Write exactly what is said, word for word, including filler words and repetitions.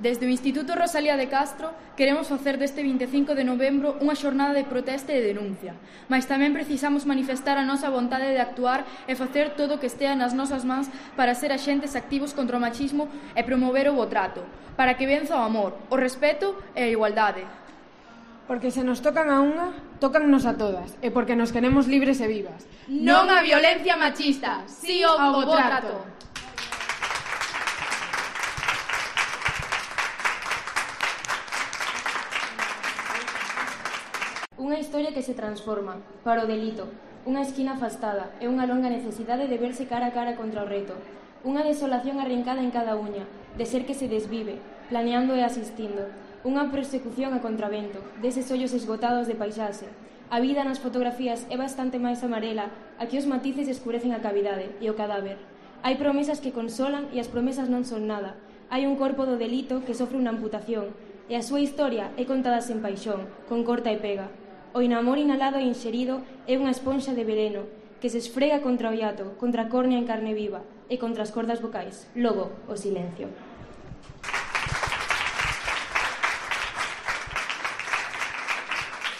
Desde o Instituto Rosalía de Castro queremos facer deste vinte e cinco de novembro unha xornada de protesta e de denuncia, mas tamén precisamos manifestar a nosa vontade de actuar e facer todo o que estea nas nosas mans para ser axentes activos contra o machismo e promover o bo trato, para que venza o amor, o respeto e a igualdade. Porque se nos tocan a unha, tócannos a todas, e porque nos queremos libres e vivas. Non a violencia machista, si o bo trato. Unha historia que se transforma, para o delito, unha esquina afastada e unha longa necesidade de verse cara a cara contra o reto, unha desolación arrincada en cada uña, de ser que se desvive, planeando e asistindo, unha persecución a contravento, deses ollos esgotados de paisaxe. A vida nas fotografías é bastante máis amarela, aquí os matices escurecen a cavidade e o cadáver. Hai promesas que consolan e as promesas non son nada. Hai un corpo do delito que sofre unha amputación e a súa historia é contada sen paixón, con corta e pega. O inamor inhalado e inxerido é unha esponxa de veneno que se esfrega contra o hiato, contra a córnea en carne viva e contra as cordas vocais, logo o silencio.